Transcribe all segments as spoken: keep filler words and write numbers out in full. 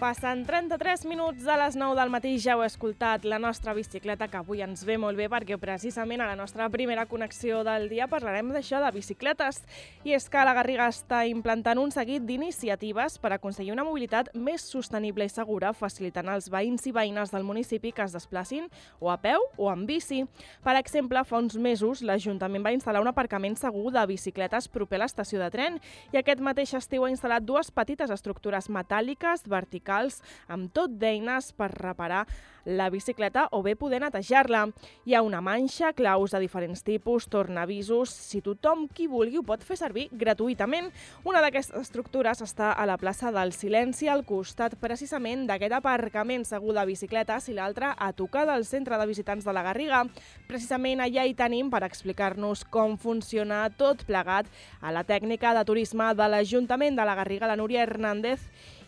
Passen trenta-tres minuts a les nou del matí, ja heu escoltat la nostra bicicleta, que avui ens ve molt bé perquè precisament a la nostra primera connexió del dia parlarem d'això, de bicicletes. I és que la Garriga està implantant un seguit d'iniciatives per aconseguir una mobilitat més sostenible i segura, facilitant als veïns i veïnes del municipi que es desplacin o a peu o en bici. Per exemple, fa uns mesos l'Ajuntament va instal·lar un aparcament segur de bicicletes proper a l'estació de tren i aquest mateix estiu ha instal·lat dues petites estructures metàl·liques verticals amb tot d'eines per reparar la bicicleta o bé poder netejar-la. Hi ha una manxa, claus de diferents tipus, tornavisos. Si tothom qui vulgui ho pot fer servir gratuïtament. Una d'aquestes estructures està a la plaça del Silenci, al costat precisament d'aquest aparcament segur de bicicletes, i l'altra a tocar del centre de visitants de la Garriga. Precisament allà hi tenim per explicar-nos com funciona tot plegat a la tècnica de turisme de l'Ajuntament de la Garriga, la Núria Hernández,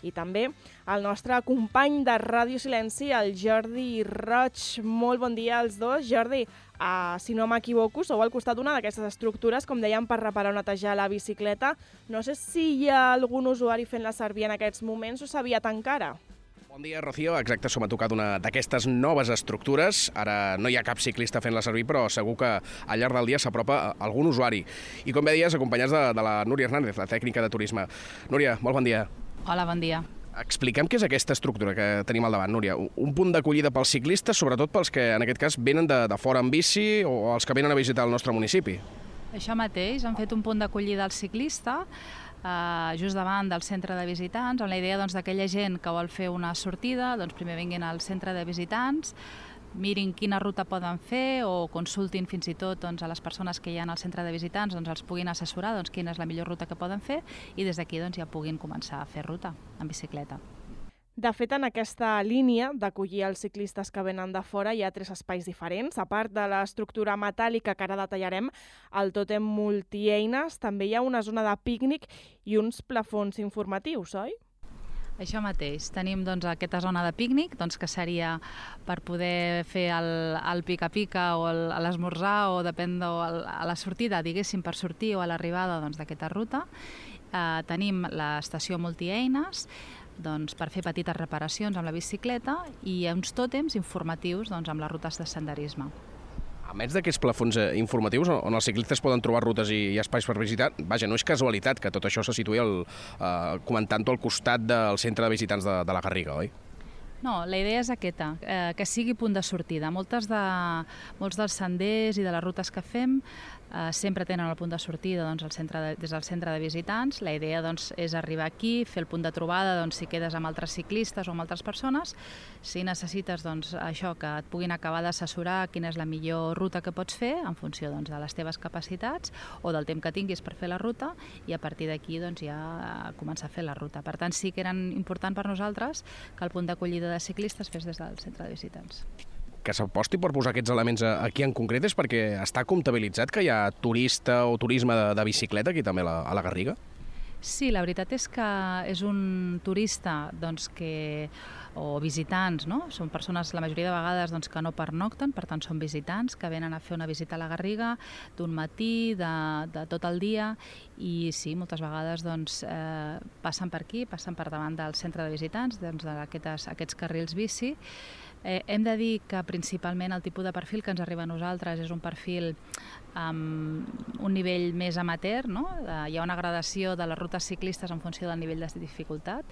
i també el nostre company de Ràdio Silenci, el Jordi Roig. Molt bon dia als dos. Jordi, uh, si no m'equivoco, sou al costat d'una d'aquestes estructures, com dèiem, per reparar o netejar la bicicleta. No sé si hi ha algun usuari fent-la servir en aquests moments o s'ha aviat encara. Bon dia, Rocío. Exacte, som a tocar d'una d'aquestes noves estructures. Ara no hi ha cap ciclista fent-la servir, però segur que al llarg del dia s'apropa algun usuari. I com bé deies, acompanyats de, de la Núria Hernández, la tècnica de turisme. Núria, molt bon dia. Hola, bon dia. Expliquem què és aquesta estructura que tenim al davant, Núria. Un punt d'acollida pels ciclistes, sobretot pels que en aquest cas venen de, de fora en bici o els que venen a visitar el nostre municipi. Això mateix, han fet un punt d'acollida al ciclista eh, just davant del centre de visitants, amb la idea doncs, d'aquella gent que vol fer una sortida, doncs primer vinguin al centre de visitants, mirin quina ruta poden fer o consultin fins i tot doncs, a les persones que hi ha al centre de visitants, doncs, els puguin assessorar doncs, quina és la millor ruta que poden fer i des d'aquí doncs, ja puguin començar a fer ruta en bicicleta. De fet, en aquesta línia d'acollir els ciclistes que venen de fora hi ha tres espais diferents. A part de l'estructura metàl·lica que ara detallarem, el tòtem multieines, també hi ha una zona de pícnic i uns plafons informatius, oi? Això mateix. Tenim doncs, aquesta zona de pícnic, doncs, que seria per poder fer el, el pica-pica o l'esmorzar o depèn de a la sortida, diguéssim, per sortir o a l'arribada doncs, d'aquesta ruta. Eh, tenim l'estació multieines, doncs, per fer petites reparacions amb la bicicleta i uns tòtems informatius doncs, amb les rutes de senderisme. A més d'aquests plafons informatius on els ciclistes poden trobar rutes i, i espais per visitar, vaja, no és casualitat que tot això se situï al, eh, comentant-ho al costat del centre de visitants de, de la Garriga, oi? No, la idea és aquesta, eh, que sigui punt de sortida. Moltes de, molts dels senders i de les rutes que fem eh, sempre tenen el punt de sortida doncs, al centre de, des del centre de visitants. La idea doncs, és arribar aquí, fer el punt de trobada doncs, si quedes amb altres ciclistes o amb altres persones. Si necessites doncs, això, que et puguin acabar d'assessorar quina és la millor ruta que pots fer en funció doncs, de les teves capacitats o del temps que tinguis per fer la ruta i a partir d'aquí doncs, ja començar a fer la ruta. Per tant, sí que era important per nosaltres que el punt d'acollida de ciclistes fes des del centre de visitants. Que s'aposti per posar aquests elements aquí en concret és perquè està comptabilitzat que hi ha turista o turisme de, de bicicleta aquí també a la, a la Garriga? Sí, la veritat és que és un turista doncs, que, o visitants, no? Són persones, la majoria de vegades, doncs, que no pernocten, per tant són visitants que venen a fer una visita a la Garriga d'un matí, de, de tot el dia, i sí, moltes vegades doncs, eh, passen per aquí, passen per davant del centre de visitants, doncs, d'aquests aquests carrils bici. Eh, hem de dir que principalment el tipus de perfil que ens arriba a nosaltres és un perfil amb un nivell més amateur, no? Eh, hi ha una gradació de les rutes ciclistes en funció del nivell de dificultat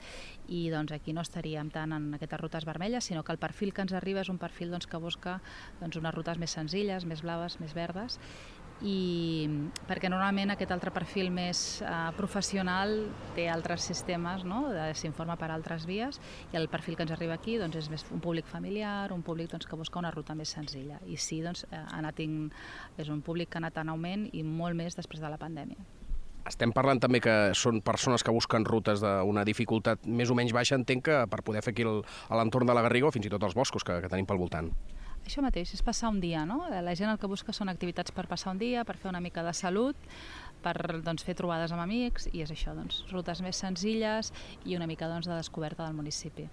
i doncs, aquí no estaríem tant en aquestes rutes vermelles, sinó que el perfil que ens arriba és un perfil doncs, que busca doncs, unes rutes més senzilles, més blaves, més verdes, i perquè normalment aquest altre perfil més eh, professional té altres sistemes, no? S'informa per altres vies i el perfil que ens arriba aquí doncs, és més un públic familiar, un públic doncs, que busca una ruta més senzilla i sí, doncs, ha anat in... és un públic que ha anat en augment i molt més després de la pandèmia. Estem parlant també que són persones que busquen rutes d'una dificultat més o menys baixa, entenc que per poder fer aquí el, a l'entorn de la Garriga o fins i tot els boscos que, que tenim pel voltant. Això mateix, és passar un dia, no? La gent el que busca són activitats per passar un dia, per fer una mica de salut, per doncs, fer trobades amb amics, i és això, doncs, rutes més senzilles i una mica doncs, de descoberta del municipi.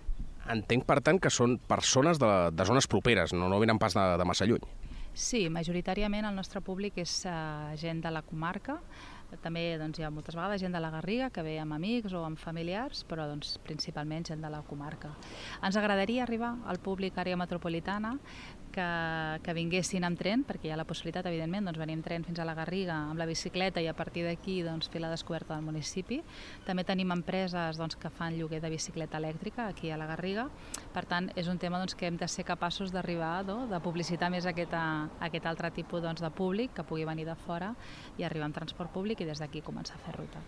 Entenc, per tant, que són persones de, de zones properes, no, no venen pas de, de massa lluny. Sí, majoritàriament el nostre públic és uh, gent de la comarca, També doncs, hi ha moltes vegades gent de la Garriga que ve amb amics o amb familiars, però doncs, principalment gent de la comarca. Ens agradaria arribar al públic àrea metropolitana que, que vinguessin amb tren, perquè hi ha la possibilitat, evidentment, doncs venir amb tren fins a la Garriga amb la bicicleta i a partir d'aquí doncs, fer la descoberta del municipi. També tenim empreses doncs, que fan lloguer de bicicleta elèctrica aquí a la Garriga. Per tant, és un tema doncs, que hem de ser capaços d'arribar, no? de publicitar més aquest, aquest altre tipus doncs, de públic que pugui venir de fora i arribar amb transport públic i des d'aquí començar a fer ruta.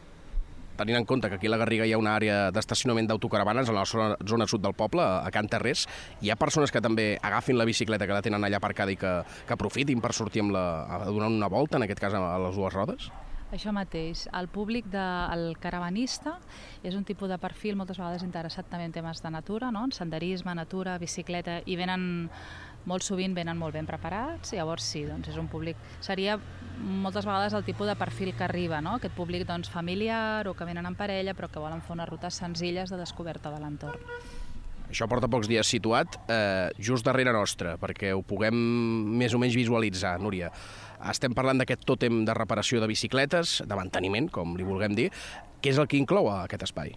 Tenint en compte que aquí a la Garriga hi ha una àrea d'estacionament d'autocaravanes a la zona, zona sud del poble, a Can Terrés, hi ha persones que també agafin la bicicleta que la tenen allà aparcada i que, que aprofitin per sortir amb la, a donar una volta, en aquest cas a les dues rodes? Això mateix. El públic del caravanista és un tipus de perfil moltes vegades interessat també en temes de natura, no? En senderisme, natura, bicicleta, i venen molt sovint venen molt ben preparats, llavors sí, doncs és un públic, seria moltes vegades el tipus de perfil que arriba, no? Aquest públic doncs, familiar o que venen en parella però que volen fer unes rutes senzilles de descoberta de l'entorn. Això porta pocs dies situat, eh, just darrere nostre, perquè ho puguem més o menys visualitzar, Núria. Estem parlant d'aquest tòtem de reparació de bicicletes, de manteniment, com li vulguem dir. Què és el que inclou aquest espai?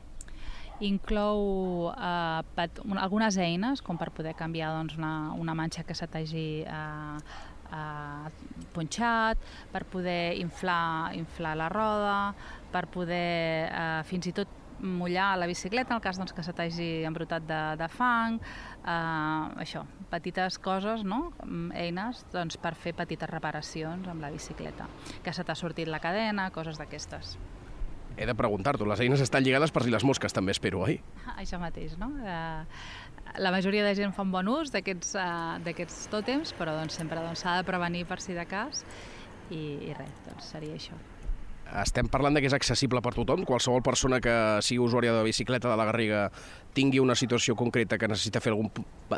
Inclou eh, pat, un, algunes eines, com per poder canviar doncs, una, una manxa que se t'hagi eh, eh, punxat, per poder inflar, inflar la roda, per poder eh, fins i tot mullar la bicicleta en el cas doncs, que se t'hagi embrutat de, de fang, eh, això, petites coses, no? Eines doncs, per fer petites reparacions amb la bicicleta, que se t'ha sortit la cadena, coses d'aquestes. He de preguntar-t'ho, les eines estan lligades per si les mosques també, espero, oi? Això mateix, no? Eh, la majoria de gent fa un bon ús d'aquests uh, d'aquests tòtems, però doncs, sempre s'ha doncs, de prevenir per si de cas i, i res, doncs seria això. Estem parlant de que és accessible per tothom? Qualsevol persona que sigui usuària de bicicleta de la Garriga tingui una situació concreta que necessita fer algun,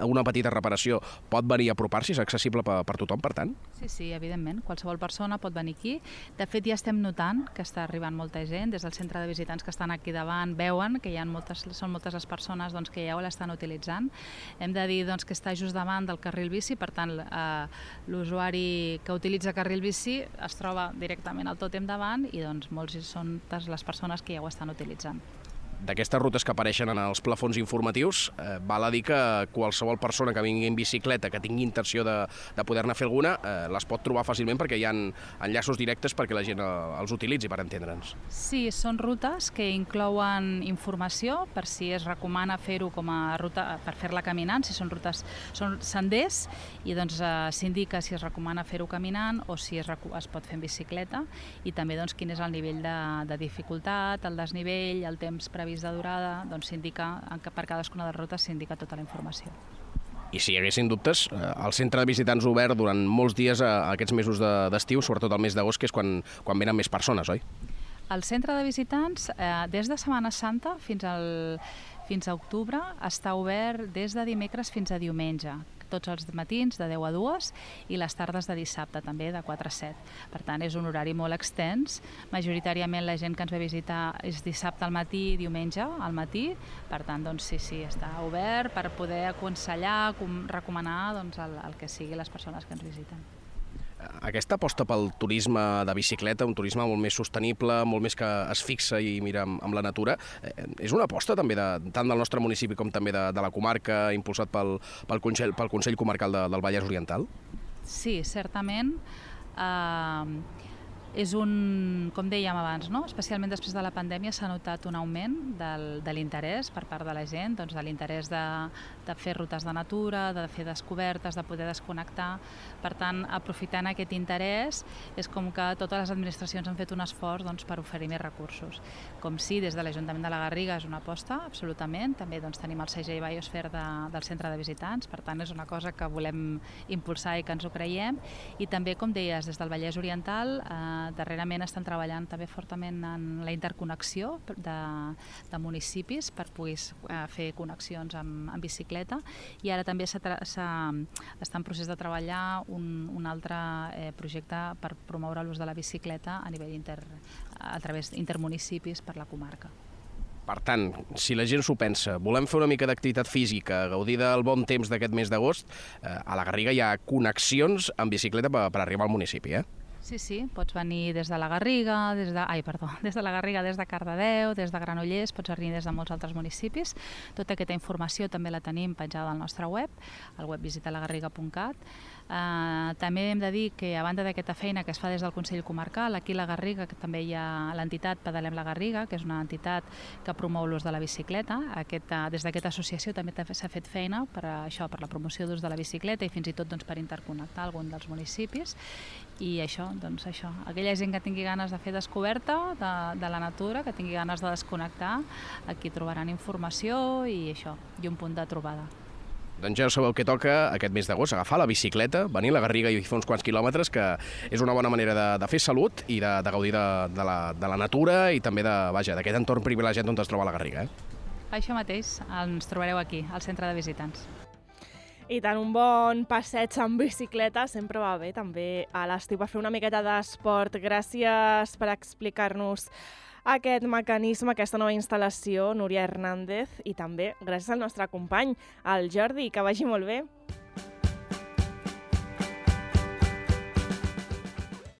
una petita reparació, pot venir a apropar-s'hi? És accessible per, per tothom, per tant? Sí, sí, evidentment. Qualsevol persona pot venir aquí. De fet, ja estem notant que està arribant molta gent. Des del centre de visitants que estan aquí davant veuen que hi ha moltes, són moltes les persones doncs, que ja ho l'estan utilitzant. Hem de dir doncs, que està just davant del carril bici, per tant, eh, l'usuari que utilitza carril bici es troba directament al tòtem davant i doncs molts són les persones que ja ho estan utilitzant. D'aquestes rutes que apareixen en els plafons informatius, eh, val a dir que qualsevol persona que vingui en bicicleta, que tingui intenció de, de poder-ne fer alguna, eh, les pot trobar fàcilment perquè hi ha enllaços directes perquè la gent eh, els utilitzi, per entendre'ns. Sí, són rutes que inclouen informació per si es recomana fer-ho com a ruta per fer-la caminant, si són rutes, són senders, i doncs eh, s'indica si es recomana fer-ho caminant o si es, es pot fer en bicicleta, i també doncs, quin és el nivell de, de dificultat, el desnivell, el temps previst de durada, doncs s'indica, per cadascuna de les rutes s'indica tota la informació. I si hi haguessin dubtes, el centre de visitants obert durant molts dies a aquests mesos d'estiu, sobretot el mes d'agost, que és quan, quan venen més persones, oi? El centre de visitants, eh, des de Setmana Santa fins, al, fins a octubre, està obert des de dimecres fins a diumenge, tots els matins de deu a dues i les tardes de dissabte també de quatre a set. Per tant, és un horari molt extens. Majoritàriament la gent que ens ve a visitar és dissabte al matí i diumenge al matí. Per tant, doncs, sí, sí, està obert per poder aconsellar, recomanar doncs, el, el que sigui les persones que ens visiten. Aquesta aposta pel turisme de bicicleta, un turisme molt més sostenible, molt més que es fixa i mira amb, amb la natura, eh, és una aposta també de, tant del nostre municipi com també de, de la comarca, impulsat pel, pel, Consell, pel Consell Comarcal de, del Vallès Oriental? Sí, certament. Eh, és un, com dèiem abans, no? Especialment després de la pandèmia s'ha notat un augment del, de l'interès per part de la gent, doncs de l'interès de, de fer rutes de natura, de fer descobertes, de poder desconnectar. Per tant, aprofitant aquest interès, és com que totes les administracions han fet un esforç doncs, per oferir més recursos. Com sí, des de l'Ajuntament de la Garriga és una aposta, absolutament. També doncs, tenim el segell Biosphere de, del centre de visitants, per tant és una cosa que volem impulsar i que ens ho creiem. I també, com deies, des del Vallès Oriental, eh, darrerament estan treballant també fortament en la interconnexió de, de municipis per poder eh, fer connexions amb, amb bicicleta, i ara també està en procés de treballar un, un altre eh, projecte per promoure l'ús de la bicicleta a nivell inter, a través d'intermunicipis per la comarca. Per tant, si la gent s'ho pensa, volem fer una mica d'activitat física, gaudir del bon temps d'aquest mes d'agost, eh, a la Garriga hi ha connexions amb bicicleta per, per arribar al municipi, eh? Sí, sí, pots venir des de la Garriga, des de, ai, perdó, des de la Garriga, des de Cardedeu, des de Granollers, pots venir des de molts altres municipis. Tota aquesta informació també la tenim penjada al nostre web, al web visitalagarriga punt cat. Uh, també hem de dir que a banda d'aquesta feina que es fa des del Consell Comarcal, aquí a la Garriga que també hi ha l'entitat Pedalem la Garriga, que és una entitat que promou l'ús de la bicicleta. Aquesta, des d'aquesta associació també s'ha fet feina per a això, per la promoció d'ús de la bicicleta i fins i tot doncs, per interconnectar algun dels municipis. I això, doncs això, aquella gent que tingui ganes de fer descoberta de, de la natura, que tingui ganes de desconnectar, aquí trobaran informació i això, i un punt de trobada. Doncs ja sabeu què toca aquest mes d'agost, agafar la bicicleta, venir a la Garriga i fer uns quants quilòmetres, que és una bona manera de, de fer salut i de, de gaudir de, de, la, de la natura i també de, vaja, d'aquest entorn privilegiat on es troba la Garriga. Eh? Això mateix, ens trobareu aquí, al centre de visitants. I tant, un bon passeig amb bicicleta sempre va bé, també a l'estiu, per fer una miqueta d'esport. Gràcies per explicar-nos aquest mecanisme, aquesta nova instal·lació, Núria Hernández, i també gràcies al nostre company, el Jordi, que vagi molt bé.